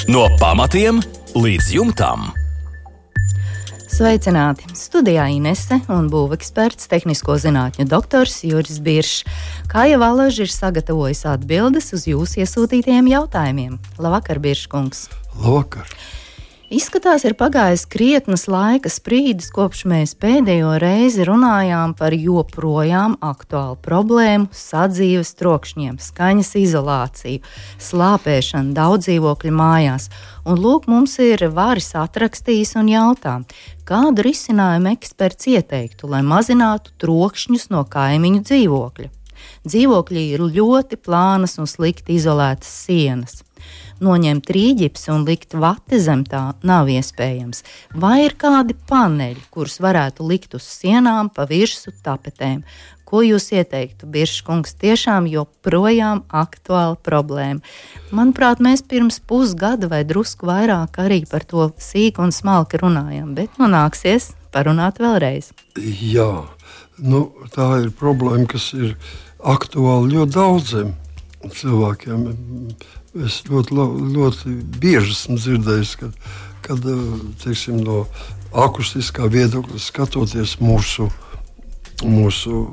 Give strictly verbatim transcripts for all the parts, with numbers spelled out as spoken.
No pamatiem līdz jumtam. Sveicināti! Studijā Inese un būveksperts, tehnisko zinātņu doktors Juris Biršs. Kāja Valaža ir sagatavojis atbildes uz jūsu iesūtītajiem jautājumiem. Labvakar, Birškungs! Labvakar! Izskatās, ir pagājis krietnas laika sprīdis, kopš mēs pēdējo reizi runājām par joprojām aktuālu problēmu sadzīves trokšņiem, skaņas izolāciju, slāpēšanu daudzdzīvokļu mājās. Un lūk, mums ir Varis atrakstījis un jautā, kādu risinājumu eksperts ieteiktu, lai mazinātu trokšņus no kaimiņu dzīvokļa. Dzīvokļi ir ļoti plānas un slikti izolētas sienas. Noņemt rīģipsi un likt vati zem tā nav iespējams. Vai ir kādi paneļi, kurus varētu likt uz sienām pa virsu tapetēm? Ko jūs ieteiktu, Birškungs? Tiešām joprojām aktuāla problēma. Manuprāt, mēs pirms pusgada vai drusku vairāk arī par to sīk un smalki runājam, bet nu nāksies parunāt vēlreiz. Jā, nu, tā ir problēma, kas ir aktuāla ļoti daudziem cilvēkiem. Es ļoti, ļoti bieži esmu dzirdējis, kad, kad teiksim, no akustiskā viedokļa skatoties mūsu, mūsu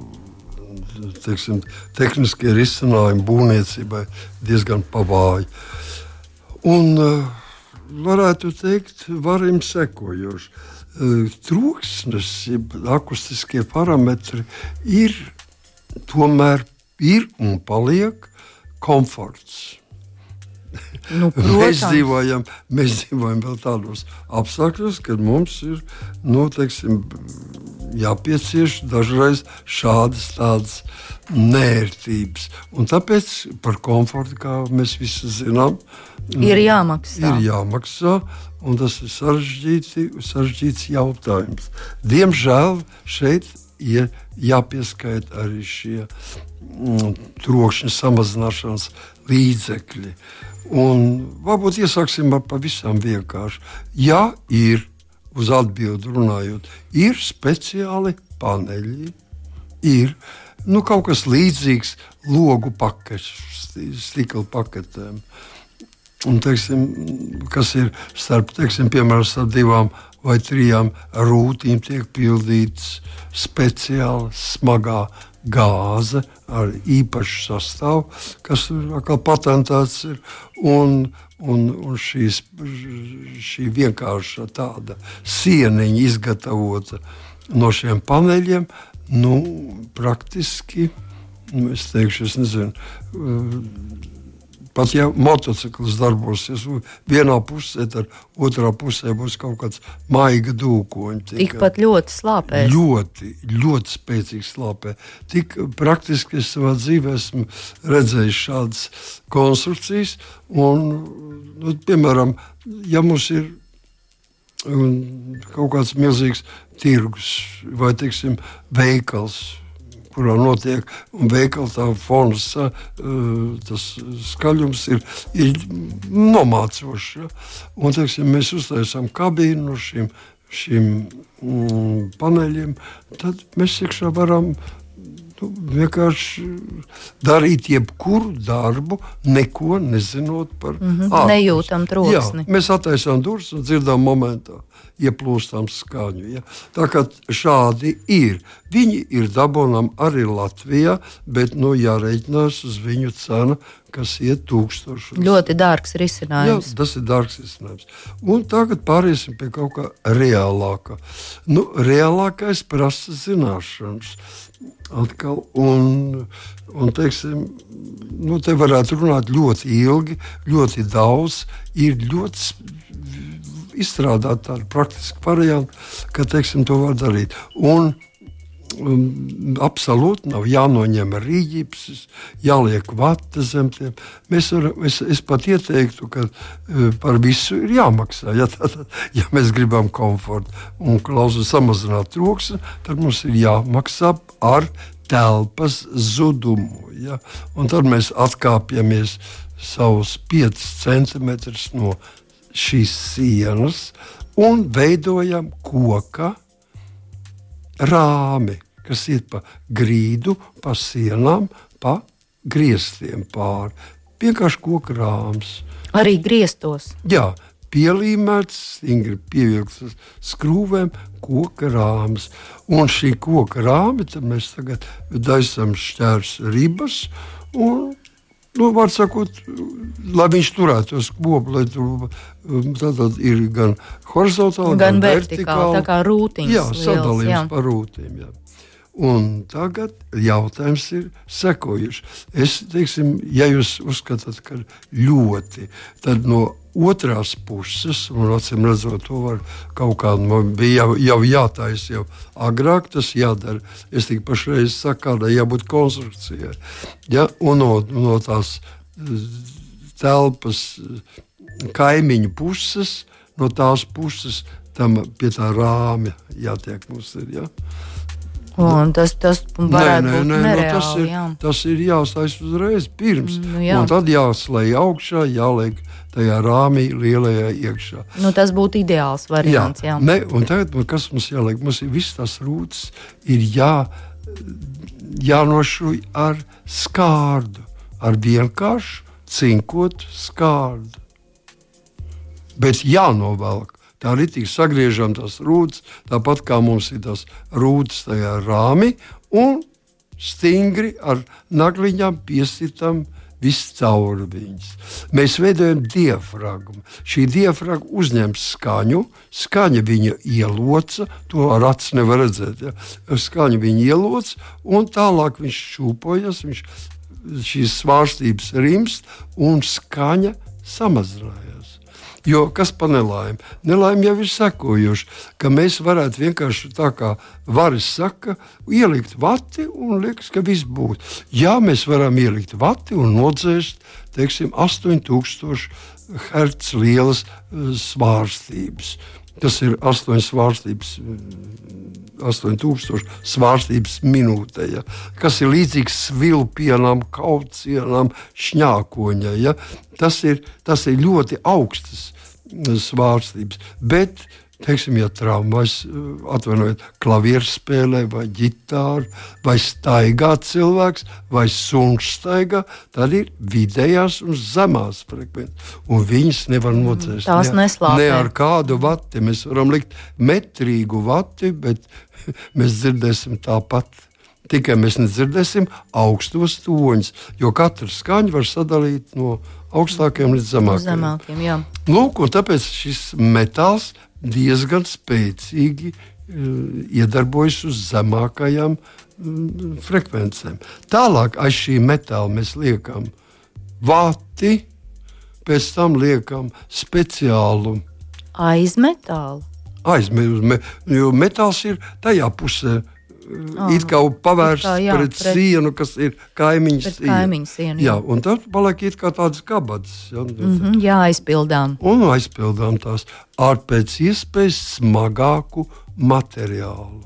teiksim, tehniskie risinājumi būvniecībai diezgan pavāji. Un varētu teikt, varam sekojoši. Troksnis, akustiskie parametri ir tomēr ir un paliek komforts. Nu, mēs, dzīvojam, mēs dzīvojam vēl tādos apstākļos, kad mums ir nu, teiksim, jāpiecieš dažreiz šādas tādas nērtības. Un tāpēc par komfortu, kā mēs visi zinām, ir jāmaksā. Ir jāmaksā, un tas ir sarežģīti, sarežģīts jautājums. Diemžēl šeit ir jāpieskaita arī šie mm, trokšņa samazināšanas līdzekļi. Un varbūt iesāksim ar pavisam vienkārši. Ja ir, uz atbildi runājot, ir speciāli paneļi, ir nu, kaut kas līdzīgs logu paketes, stikla paketēm. Un, teiksim, kas ir starp, teiksim, piemēram, starp divām vai trijām rūtīm tiek pildīts speciāli smagā gāze ar īpašu sastāvu, kas atkal patentēts ir, un, un, un šīs, šī vienkārša tāda sieniņa izgatavota no šiem paneļiem, nu, praktiski, nu, es teikšu, es nezinu, pat ja motocikls darbosies vienā pusē, tad otrā pusē būs kaut kāds maiga dūkoņi. Tikpat ļoti slāpēs. Ļoti, ļoti spēcīgi slāpē. Tik praktiski es savā dzīvē esmu redzējis šādas konstrukcijas. Un, nu, piemēram, ja mums ir um, kaut kāds milzīgs tirgus vai, teiksim, veikals, kurā notiek, un veikala tā fonas, tas skaļums ir, ir nomācošs. Ja? Un, teiksim, mēs uztaisām kabīnu no šīm, šīm mm, paneļiem, tad mēs iekšā varam nu, vienkārši darīt jebkuru darbu, neko nezinot par mm-hmm. ārpus. Nejūtam troksni. Jā, mēs attaisām durvis un dzirdām momentā ieplūstām skaņu. Ja? Tā kā šādi ir. Viņi ir dabonām arī Latvijā, bet nu, jāreiķinās uz viņu cenu, kas iet tūkstošos. Ļoti dārgs risinājums. Jā, tas ir dārgs risinājums. Un tagad pāriesim pie kaut kā reālākā. Nu, reālākais prasa zināšanas. Atkal, un, un teiksim, nu, te varētu runāt ļoti ilgi, ļoti daudz, ir ļoti izstrādāt tādu praktisku variantu, ka, teiksim, to var darīt. Un um, absolūti nav jānoņem rīģipsis, jāliek vata zem tiem. Mēs varam, es, es pat ieteiktu, ka uh, par visu ir jāmaksā. Ja, tā, ja mēs gribam komfortu un klausu samazināt troksni, tad mums ir jāmaksā ar telpas zudumu. Ja? Un tad mēs atkāpjamies savus piecus centimetrus no šīs sienas un veidojam koka rāmi, kas iet pa grīdu, pa sienām, pa griestiem pāri. Vienkārši koka rāms. Arī griestos. Jā, pielīmēts, stingri pievilkts skrūvēm, koka rāmas. Un šī koka rāme, tad mēs tagad daisam šķērs ribas un, nu, var sakot, lai viņš turētos kopu, lai tur tātad ir gan horizontāli, gan, gan vertikāli, vertikāli. Tā kā rūtiņas. Jā, liels, sadalījums jā. par rūtīm, jā. Un tagad jautājums ir sekojuši. Es, teiksim, ja jūs uzskatāt, ka ļoti, tad no otrās puses, un acīm redzot, to var kaut kā, bija jau, jau jātais jau agrāk, tas jādara. Es tik pašreiz saku, kādai jābūt konstrukcijai. Ja? Un no, no tās telpas kaimiņu puses, no tās puses, tam pie tā rāmja jātiek mums ir, ja? Un tas, tas varētu nē, nē, būt nē, nereāli, no tas ir, jā. Tas ir jāstais uzreiz pirms, nu, jā. Un tad jāslēj augšā, jāliek tajā rāmī lielajā iekšā. Nu, tas būtu ideāls variants, jā. jā. Ne, un tagad, kas mums jāliek? Mums ir viss tās rūtas, ir jā, jānošuj ar skārdu, ar vienkāršu cinkotu skārdu. Bet jānovelk. Tā arī tik sagriežam tās rūtas, tāpat kā mums ir tās rūtas tajā rāmī, un stingri ar nagliņām piesitam viss cauri viņas. Mēs veidojam diafragmu. Šī diafragma uzņem skaņu, skaņa viņa ieloca, to ar acis nevar redzēt, ja? Skaņa viņa ieloca, un tālāk viņš šūpojas, viņš, šīs svārstības rimst, un skaņa samazinājās. Jo kas pa nelaimi? Nelaimi jau ir sekojuši, ka mēs varētu vienkārši tā kā varis saka, ielikt vati un liekas, ka viss būtu. Jā, mēs varam ielikt vati un nodzēst, teiksim, astoņi tūkstoši hertz lielas svārstības. Tas ir astoņas svārstības, astoņi tūkstoši svārstības minūtē, ja? Kas ir līdzīgs svilpienam, kaucienam, šņākoņai. Ja? Tas ir, tas ir ļoti augstas svārstības. Bet, teiksim, ja traumas, atvainojiet, klavieru spēlē vai ģitāru, vai staigā cilvēks, vai suns staigā, tad ir vidējās un zemās frekvences. Un viņas nevar nocēst. Tās ne, neslāpē. Ne ar kādu vati. Mēs varam likt metrīgu vati, bet mēs dzirdēsim tāpat. Tikai mēs nedzirdēsim augstos toņus, jo katra skaņa var sadalīt no augstākiem līdz zemākiem. Zemākiem, jā. Lūk, un tāpēc šis metāls diezgan spēcīgi uh, iedarbojas uz zemākajām uh, frekvencēm. Tālāk aiz šī metāla mēs liekam vati, pēc tam liekam speciālu aiz metālu. Aiz, me, jo metāls ir tajā pusē. Ah, it kā pavērsts it kā, jā, pret, pret sienu, kas ir kaimiņu siena. siena jā. Jā, un tad paliek it kā tādas kabatas. Jā, mm -hmm, jā, aizpildām. Un aizpildām tās ar pēc iespējas smagāku materiālu.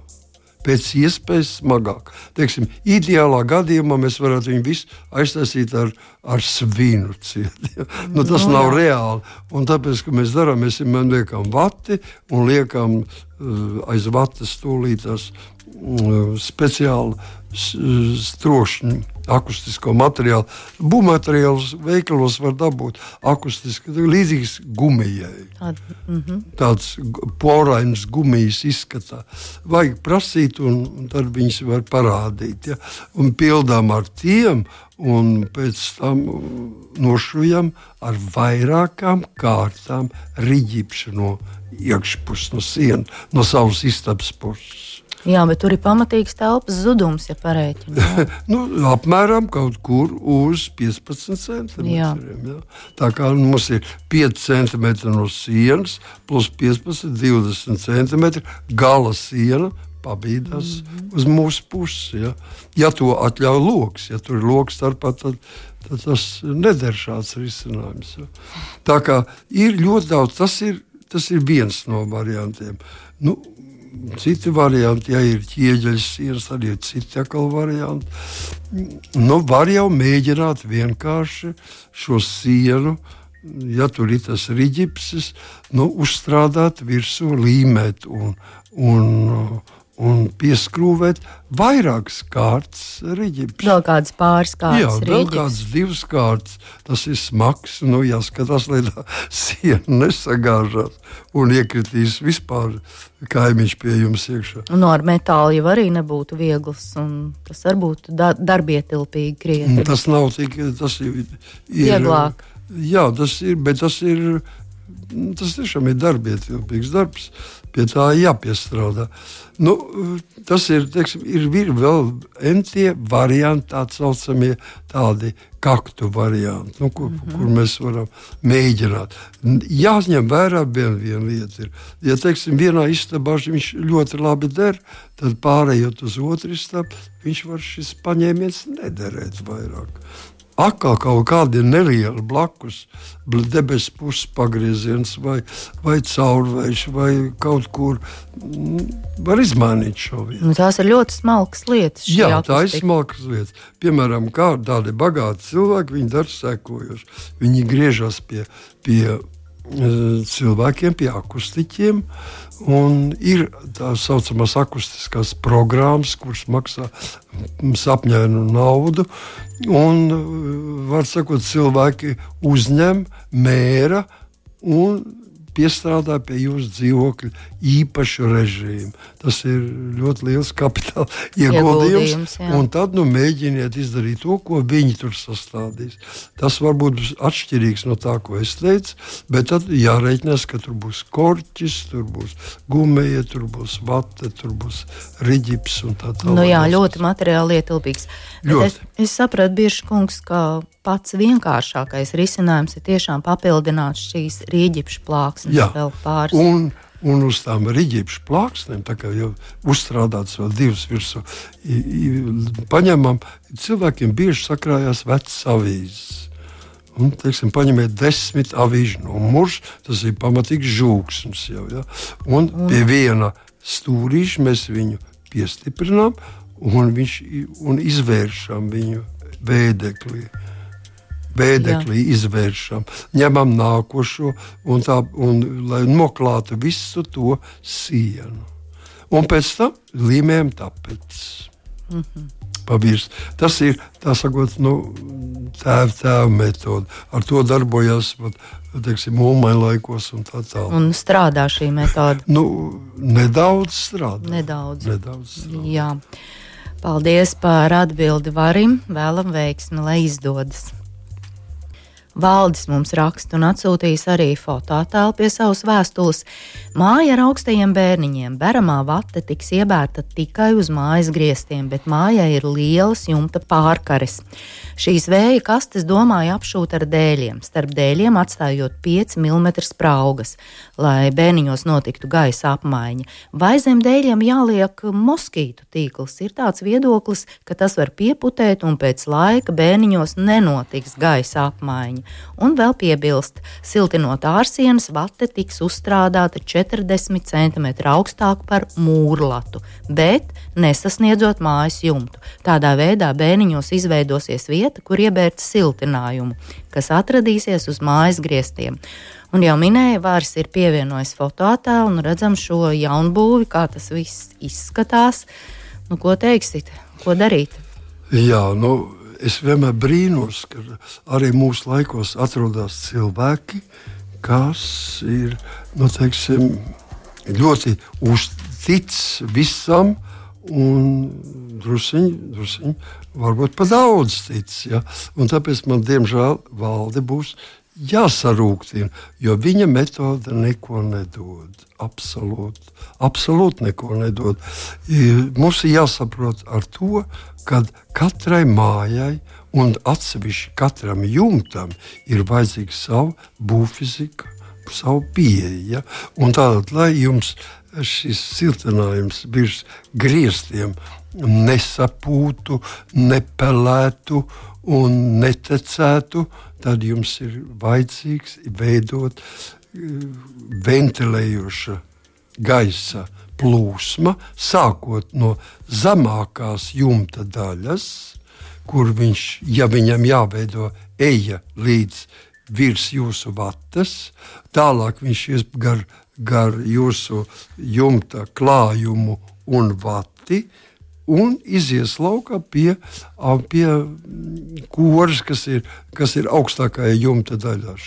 Pēc iespējas smagāk. Teiksim, ideālā gadījumā mēs varētu viņu visu aiztaisīt ar, ar svinu cieti. Ja? Nu, tas no, nav jā. reāli. Un tāpēc, ka mēs darām, mēs vienmēr liekam vati un liekam uh, aiz vatas stūlītās uh, speciāli strokšņu akustisko materiālu. Būvmateriālus veikalos var dabūt akustiski, līdzīgs gumijai. Tād, mm -hmm. Tāds porains gumijas izskatā. Vajag prasīt, un, un tad viņas var parādīt. Ja? Un pildām ar tiem, un pēc tam nošujam ar vairākām kārtām riģipšu no iekšpuses, no sienas, no savas istabas puses. Jā, bet tur ir pamatīgs telpas zudums, ja parēķina. nu, apmēram kaut kur uz piecpadsmit centimetriem. Jā. Tā kā mums ir pieci centimetri no sienas, plus piecpadsmit, divdesmit centimetri gala siena pabīdās mm-hmm. uz mūsu pusi. Ja? ja to atļauj loks, ja tur ir loks starpā, tad, tad tas neder šāds risinājums. Ja? Tā kā ir ļoti daudz, tas ir, tas ir viens no variantiem. Nu, citi varianti, ja ir ķieģeļas sienas, arī ir citi atkal varianti. Nu, var jau mēģināt vienkārši šo sienu, ja tur ir tas riģipsis, nu, uzstrādāt virsū, līmēt un, un, un pieskrūvēt vairākas kārtas riģipus. Vēl kādas pāris kārtas Jā, vēl riģipus. kādas divas kārtas. Tas ir smags, nu jāskatās, lai tā siena nesagāžās un iekritīs vispār kaimiņš pie jums iekšā. Un ar metālu jau arī nebūtu viegls, un tas var būt da- darbietilpīgi krietni. Tas nav tik, tas ir... Vieglāk. Jā, tas ir, bet tas ir, tas tiešām ir darbietilpīgs darbs. Pie tā jāpiestrādā. Nu, tas ir, teiksim, ir, ir vēl entie varianti, tā saucamie tādi kaktu varianti, nu, kur, mm-hmm. kur mēs varam mēģināt. Jāņem vērā viena vien lieta ir. Ja, teiksim, vienā istabā viņš ļoti labi der, tad pārējot uz otru istabu, viņš var šis paņēmiens nederēt vairāk. Atkal kaut kādi nelieli blakus, debesu puses pagrieziens vai, vai caurvējš vai kaut kur m, var izmainīt šo vietu. Nu, tās ir ļoti smalkas lietas. šī Jā, tā ir akustika. smalkas lietas. Piemēram, kā tādi bagāti cilvēki, viņi dara sekojoši. Viņi griežas pie, pie cilvēkiem, pie akustiķiem, un ir tā saucamās akustiskās programmas, kuras maksā sapņainu naudu, un, var sakot, cilvēki uzņem, mēra un piestrādā pie jūsu dzīvokļa īpašu režīmu. Tas ir ļoti liels kapitāla ieguldījums, Ieguldījums, jā. un tad nu, mēģiniet izdarīt to, ko viņi tur sastādīs. Tas varbūt būs atšķirīgs no tā, ko es teicu, bet tad jārēķinās, ka tur būs korķis, tur būs gumija, tur būs vate, tur būs riģips un tā tālāk. Nu jā, ļoti materiāli ietilpīgs. Bet es, es sapratu, Birša kungs, ka pats vienkāršākais risinājums ir tiešām papildināt šīs rīģipšu plāksnes Jā, vēl pāris. un, un uz tām rīģipšu plāksnēm, tā kā jau uzstrādāts vēl divas virsū, i, i, paņemam, cilvēkiem bieži sakrājās vecas avīzes. Un, teiksim, paņemiet desmit avīžu numurus, tas ir pamatīgs žūksms jau, ja? Un pie viena stūrīša mēs viņu piestiprinām un, viņš, un izvēršam viņu vēdeklī. Vēdeklī Jā. izvēršam, ņemam nākošo, un tā, un, lai noklātu visu to sienu. Un pēc tam līmējam tapetes. Mm-hmm. Pavirst. Tas ir, tā sakot, nu, tēva tēva metode. Ar to darbojās, teiksim, mūmaņa laikos un tā tālāk. Un strādā šī metode? Nu, nedaudz strādā. Nedaudz. Nedaudz strādā. Jā. Paldies par atbildi Varim. Vēlam veiksmi, lai izdodas. Valdis mums raksta un atsūtījis arī fotoattēlu pie savas vēstules. Māja ar augstajiem bērniņiem. Beramā vate tiks iebērta tikai uz mājas griestiem, bet mājai ir lielas jumta pārkares. Šīs vēja kastes domāju apšūt ar dēļiem, starp dēļiem atstājot pieci milimetri spraugas, lai bērniņos notiktu gaisa apmaiņa. Vai zem dēļiem jāliek moskītu tīkls? Ir tāds viedoklis, ka tas var pieputēt un pēc laika bērniņos nenotiks gaisa apmaiņa. Un vēl piebilst, siltinot ārsienas, vate tiks uzstrādāta četrdesmit centimetri augstāk par mūrlatu, bet nesasniedzot mājas jumtu. Tādā veidā bērniņos izveidosies vieta, kur iebērt siltinājumu, kas atradīsies uz mājas griestiem. Un jau minēja, Vārs ir pievienojis fotoattēlu un redzam šo jaunbūvi, kā tas viss izskatās. Nu, ko teiksit? Ko darīt? Jā, nu... Es vienmēr brīnos, ka arī mūsu laikos atrodas cilvēki, kas ir, nu, teiksim, ļoti uztic visam un drusiņi, drusiņi varbūt pa daudz tic. Ja? Un tāpēc man, diemžēl, valde būs jāsarūktina, jo viņa metode neko nedod. Absolūti, absolūti neko nedod. Mums ir jāsaprot ar to, ka katrai mājai un atsevišķi katram jumtam ir vajadzīga savu būvfizika, savu pieeja. Un tātad, lai jums šis siltinājums virs griestiem nesapūtu, nepelētu un netecētu, tad jums ir vajadzīgs veidot ventilējoša gaisa plūsma, sākot no zemākās jumta daļas, kur viņš, ja viņam jāveido eja līdz virs jūsu vatas, tālāk viņš ies gar, gar jūsu jumta klājumu un vati, un izies laukā pie, pie koras, kas ir, kas ir augstākajā jumta daļā.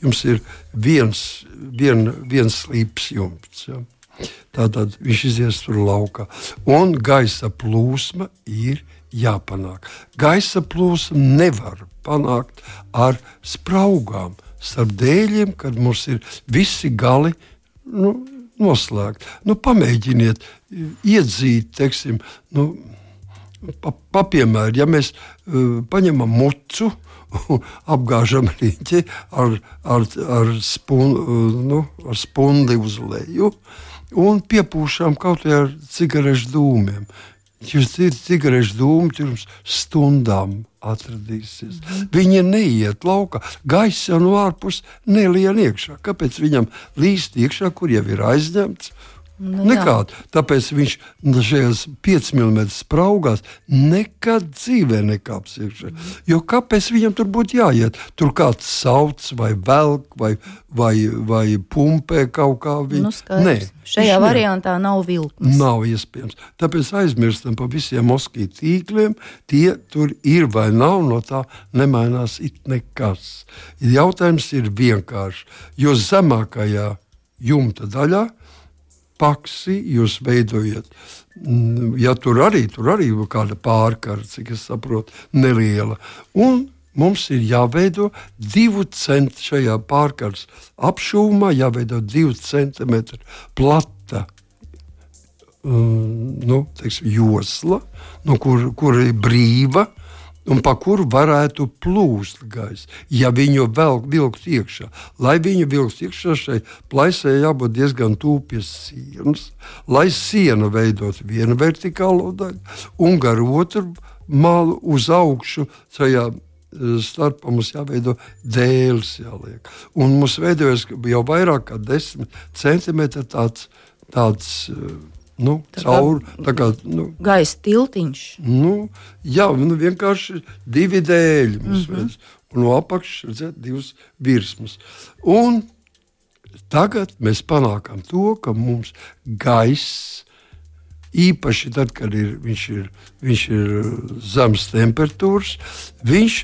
Jums ir viens, vien, viens slīps jumts. Ja? Tātad viņš izies tur laukā. Un gaisa plūsma ir jāpanāk. Gaisa plūsmu nevar panākt ar spraugām starp dēļiem, kad mums ir visi gali nu, noslēgt. Nu, pamēģiniet iedzīt, teiksim, nu, pa, pa piemēru, ja mēs uh, paņemam mucu, apgāžam riņķi ar, ar, ar, spun, uh, nu, ar spundi uz leju un piepūšam kaut vai ar cigarešu dūmiem. Jūs cigarešu dūmi pirms stundām atradīsies. Mm. Viņi neiet laukā. Gaiss jau no ārpus nelien iekšā. Kāpēc viņam līst iekšā, kur jau ir aizņemts? Nu, nekād. Tāpēc viņš šajās piecas milimetru spraugās nekad dzīvē nekāps iekšā. Mm. Jo kāpēc viņam tur būtu jāiet? Tur kāds sauc vai velk vai, vai, vai pumpē kaut kā. Viņ... Nu, Nē, šajā variantā ne. Nav vilknes. Nav iespējams. Tāpēc aizmirstam par visiem moskītu tīkliem. Tie tur ir vai nav, no tā nemainās it nekas. Jautājums ir vienkārši, jo zemākajā jumta daļā paksi jūs veidojat. Ja tur arī, tur arī kāda pārkara, cik es saprotu, neliela. Un mums ir jāveido divu centimetru šajā pārkaras apšūmā, jāveido divu centimetru plata um, nu, teiksim, josla, no kur, kur ir brīva, un pa kuru varētu plūst gaisa, ja viņu vēl vilkt iekšā. Lai viņu vilkt iekšā, šai plaisai jābūt diezgan tuvu pie sienas, lai siena veidot vienu vertikālo daļu, un gar otru malu uz augšu, šajā starpā mums jāveido dēles jāliek. Un mums veidojas jau vairāk kā desmit centimetri tāds, tāds Nu, tā caur, tā kā, nu, gaisa tiltiņš. Nu, jā, nu, vienkārši divi dēļi mums mm-hmm. veids. Un no apakšas redzēt divas virsmas. Un tagad mēs panākam to, ka mums gaiss, īpaši tad, kad ir, viņš, ir, viņš ir zemes temperatūras, viņš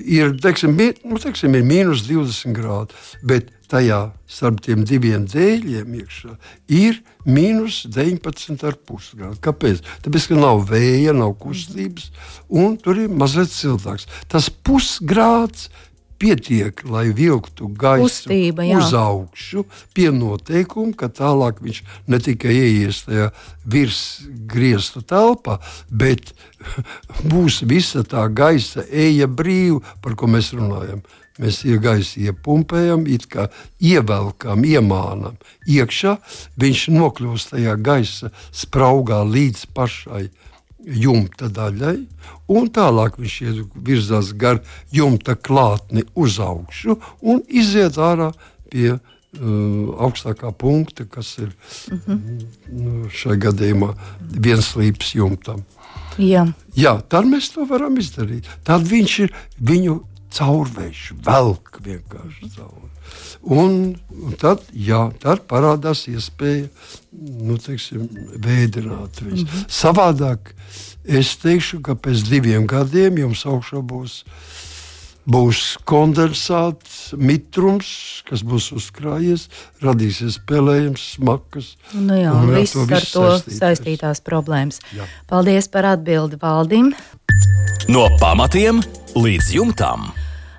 ir, teiksim, nu, teiksim, ir mīnus divdesmit grādi, bet tajā starp tiem diviem dēļiem iekšā ir mīnus deviņpadsmit ar pus grādi. Kāpēc? Tāpēc, ka nav vēja, nav kustības, un tur ir mazliet siltāks. Tas pusgrāds pietiek, lai vilktu gaisu Kustība, uz augšu, pie noteikuma, ka tālāk viņš ne tikai ieies tajā virsgriestu telpā, bet būs visa tā gaisa eja brīva, par ko mēs runājam. Mēs gaisu iepumpējam, it kā ievelkam, iemānam iekšā, viņš nokļūst tajā gaisa spraugā līdz pašai jumta daļai, un tālāk viņš virzās gar jumta klātni uz augšu un iziet ārā pie uh, augstākā punkta, kas ir mm-hmm. šajā gadījumā viens slīps jumtam. Jā. Jā, tad mēs to varam izdarīt. Tad viņš ir viņu caurvējš, velk vienkārši cauri. Un, un tad, jā, tad parādās iespēja, nu, teiksim, vēdināt viņus. Mm-hmm. Savādāk es teikšu, ka pēc diviem gadiem jums augšā būs, būs kondensāts, mitrums, kas būs uzkrājies, radīsies pelējums, smakas. Nu jā, un viss ar visu to saistītās, saistītās problēmas. Jā. Paldies par atbildi Valdim. No pamatiem līdz jumtam.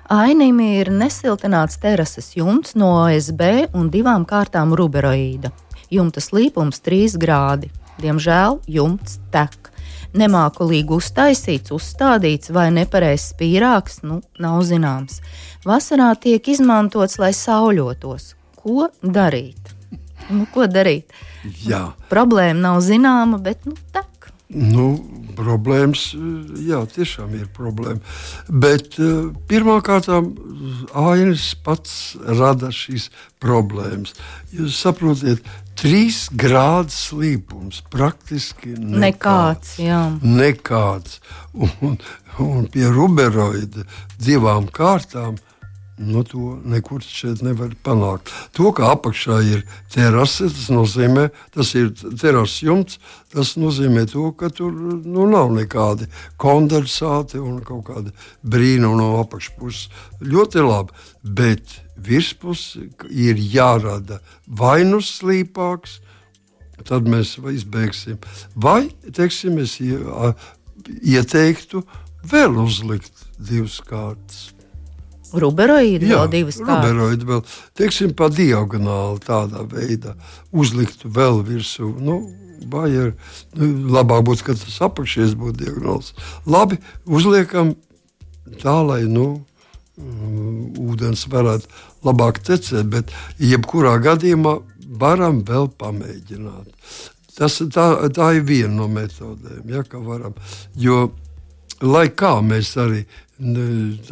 Ainim ir nesiltināts terases jumts no O S B un divām kārtām ruberoīda. Jumta slīpums trīs grādi. Diemžēl jumts tek. Nemākulīgi uztaisīts, uzstādīts vai nepareizs spīrāks, nu, nav zināms. Vasarā tiek izmantots, lai sauļotos. Ko darīt? Nu, ko darīt? Jā. Problēma nav zināma, bet, nu, tek. Nu, problēmas, jā, tiešām ir problēma. Bet uh, pirmkārt, ainis pats rada šīs problēmas. Jūs saprotiet, trīs grādu slīpums, praktiski nekāds. Nekāds, jā. Nekāds. Un, un pie ruberoida divām kārtām no to nekur šeit nevar panākt. To, ka apakšā ir terase, tas nozīmē, tas ir terases jumts, tas nozīmē to, ka tur nu, nav nekādi kondensāti un kaut kādi brīnumi no apakšpuses. Ļoti labi, bet virspusi ir jārada vai nu slīpāks, tad mēs izbeigsim. Vai, teiksim, es ieteiktu vēl uzlikt divas kārtas. Ruberoīdi vēl divas kārtas? Jā, ruberoīdi vēl, teiksim, pa diagonāli tādā veidā uzliktu vēl virsū. Nu, vai ir, nu, labāk būtu, ka tas apakšies būtu diagonāls. Labi, uzliekam tā, lai, nu, ūdens varētu labāk tecēt, bet jebkurā gadījumā varam vēl pamēģināt. Tas, tā, tā ir viena no metodēm, ja, ka varam. Jo, lai kā mēs arī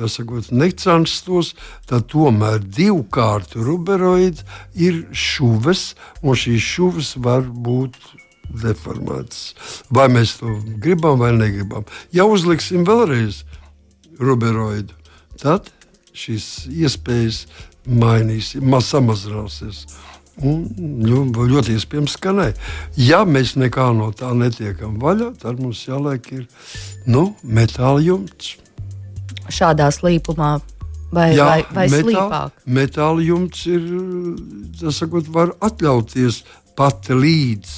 sakot, necenstos, tad tomēr divkārtu ruberoīds ir šuves, un šīs šuves var būt deformētas. Vai mēs to gribam vai negribam. Ja uzliksim vēlreiz ruberoīdu, tad šīs iespējas mainīs, samazināsies. Un ļoti iespējams, ka nē. Ja mēs nekā no tā netiekam vaļā, tad mums jāliek ir nu, metāla jumts. Šādā slīpumā vai, Jā, vai, vai metāla, slīpāk? Metāla jumts ir, tas sakot, var atļauties pat līdz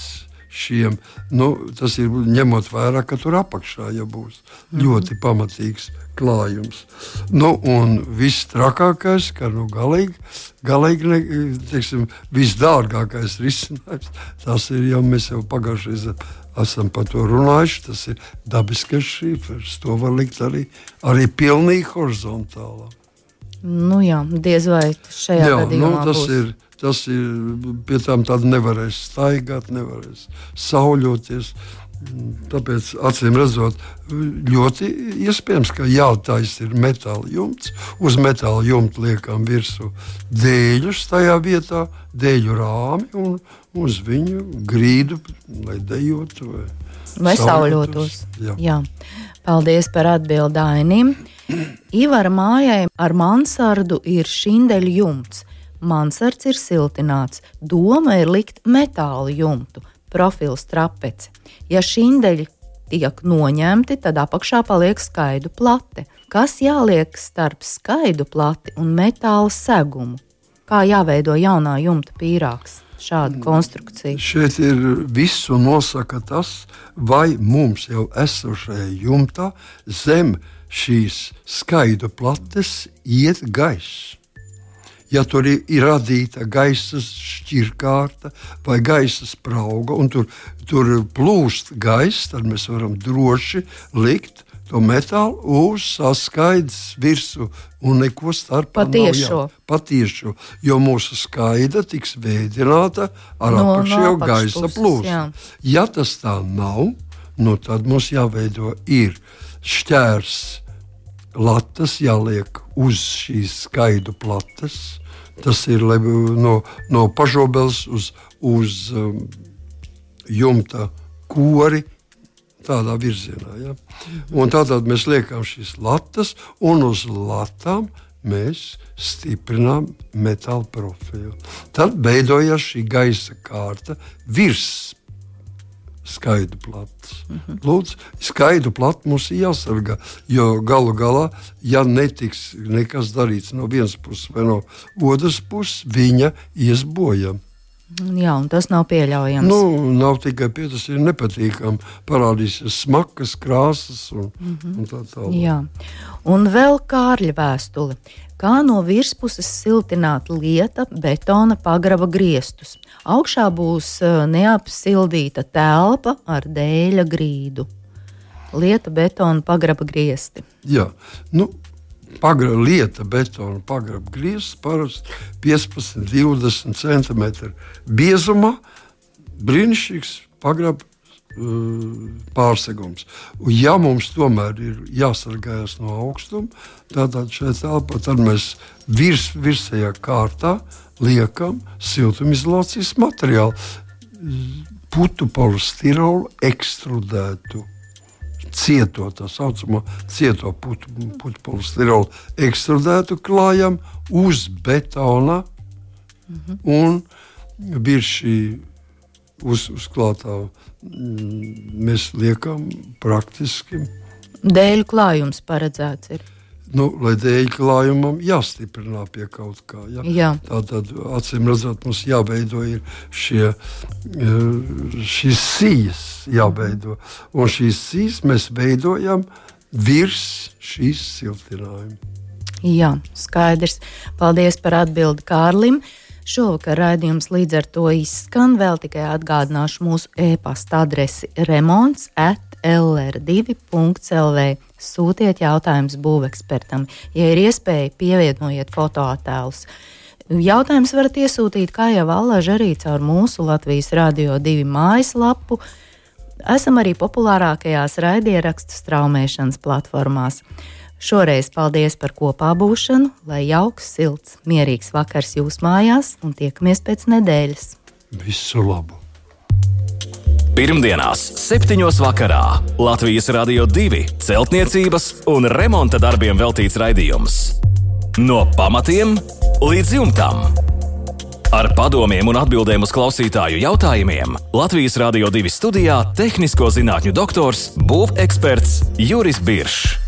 šiem. Nu, tas ir ņemot vērā, ka tur apakšā ja būs mm-hmm. ļoti pamatīgs klājums. Nu, un viss trakākais, ka nu, galīgi, galīgi ne, teiksim, visdārgākais risinājums, tas ir jau mēs jau pagājušreiz esam par to runājuši, tas ir dabiskais šīfers. To var likt arī, arī pilnīgi horizontālā. Nu jā, diez vai šajā jā, gadījumā nu, tas būs. Ir, tas ir, pie tām tāda nevarēs staigāt, nevarēs sauļoties. Tāpēc, acīm redzot, ļoti iespējams, ka jātais ir metāla jumts. Uz metāla jumta liekam virsū dēļus tajā vietā, dēļu rāmi un uz viņu grīdu, lai dejotu vai, vai sauļotos. Jā. Jā. Paldies par atbildi Ainim. Ivara mājai ar mansardu ir šindeļu jumts. Mansards ir siltināts. Doma ir likt metāla jumtu, profils trapeci. Ja šindeļi tiek noņemti, tad apakšā paliek skaidu plate. Kas jāliek starp skaidu plati un metāla segumu? Kā jāveido jaunā jumta pīrāgs? Šāda konstrukcija. Šeit ir visu nosaka tas, vai mums jau esošajā jumtā zem šīs skaidu plates iet gaiss. Ja tur ir, ir radīta gaisa šķirkārta vai gaisa sprauga, un tur, tur plūst gaiss, tad mēs varam droši likt to metālu uz saskaidas virsmu un neko starpā Patiešo. nav. Patiešo. Jo mūsu skaida tiks veidināta ar no, apakšējo no gaisa plūsmu. Ja tas tā nav, nu tad mums jāveido ir šķērs latas, jāliek uz šīs skaidu plates. Tas ir no, no pažobeles uz, uz um, jumta kori, tādā virzienā. Ja? Un tātad mēs liekam šīs latas, un uz latām mēs stiprinām metāla profilu. Tad beidojas šī gaisa kārta virs skaidu plates. Mm-hmm. Lūdzu, skaidu plati mums ir jāsargā, jo galu galā, ja netiks nekas darīts no vienas puses vai no otras puses, viņa ies bojam. Jā, un tas nav pieļaujams. Nu, nav tikai pie, tas ir nepatīkami. Parādīsies smakas, krāsas un, mm-hmm. un tā tālāk. Jā, un vēl Kārļa vēstuli. Kā no virspuses siltināt lieta betona pagraba griestus? Augšā būs neapsildīta telpa ar dēļa grīdu. Lieta betona pagraba griesti. Jā, nu, Pagra, lieta betona pagraba griezts parasti piecpadsmit līdz divdesmit centimetri biezumā, brīnišķīgs pagraba uh, pārsegums. Un ja mums tomēr ir jāsargājas no augstuma, tad šeit telpā tad mēs virs, virsējā kārtā liekam siltumizolācijas materiālu, putu polistirolu ekstrudētu. cieto, tā saucamo cieto putu, putu polistirolu ekstrudētu klājam uz betona mm-hmm. un virs šī uz, uzklātā mēs liekam praktiski. Dēļu klājums paredzēts ir. Nu, lai dēļu klājumam jāstiprinā pie kaut kā. Ja? Jā. Tātad, acīm redzot, mums jāveido ir šie, šīs sijas jāveido. Un šīs sijas mēs veidojam virs šīs siltinājuma. Jā, skaidrs. Paldies par atbildi Kārlim. Šovakar raidījums līdz ar to izskan. Vēl tikai atgādināšu mūsu e-pasta adresi remonts at l r divi punkts l v. Sūtiet jautājumus būvekspertam. Ja ir iespēja, pievienojiet fotoattēlus. Jautājumus varat iesūtīt, kā jau allaž arī caur mūsu Latvijas Radio divi mājaslapu. Esam arī populārākajās raidierakstu straumēšanas platformās. Šoreiz paldies par kopā būšanu, lai jauks, silts, mierīgs vakars jūs mājās un tiekamies pēc nedēļas. Visu labu! Pirmdienās, septiņos vakarā Latvijas Radio divi celtniecības un remonta darbiem veltīts raidījums. No pamatiem līdz jumtam. Ar padomiem un atbildēm uz klausītāju jautājumiem Latvijas Radio divi studijā tehnisko zinātņu doktors, būveksperts Juris Biršs.